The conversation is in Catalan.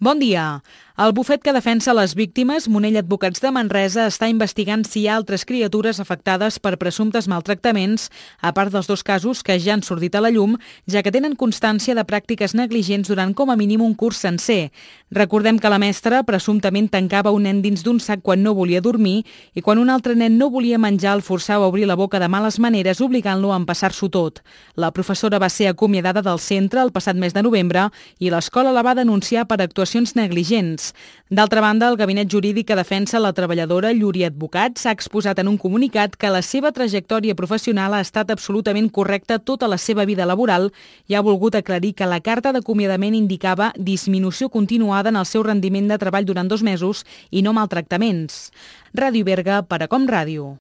Bon dia. El bufet que defensa les víctimes, Monell Advocats de Manresa, està investigant si hi ha altres criatures afectades per presumptes maltractaments, a part dels 2 casos que ja han sortit a la llum, ja que tenen constància de pràctiques negligents durant com a mínim un curs sencer. Recordem que la mestra presumptament tancava un nen dins d'un sac quan no volia dormir i quan un altre nen no volia menjar el forçava a obrir la boca de males maneres, obligant-lo a empassar-s'ho tot. La professora va ser acomiadada del centre el passat mes de novembre i l'escola la va denunciar per actuacions negligents. D'altra banda, el gabinet jurídic que defensa la treballadora Lluri Advocats ha exposat en un comunicat que la seva trajectòria professional ha estat absolutament correcta tota la seva vida laboral i ha volgut aclarir que la carta d'acomiadament indicava disminució continuada en el seu rendiment de treball durant 2 mesos i no maltractaments. Ràdio Berga per a Com Ràdio.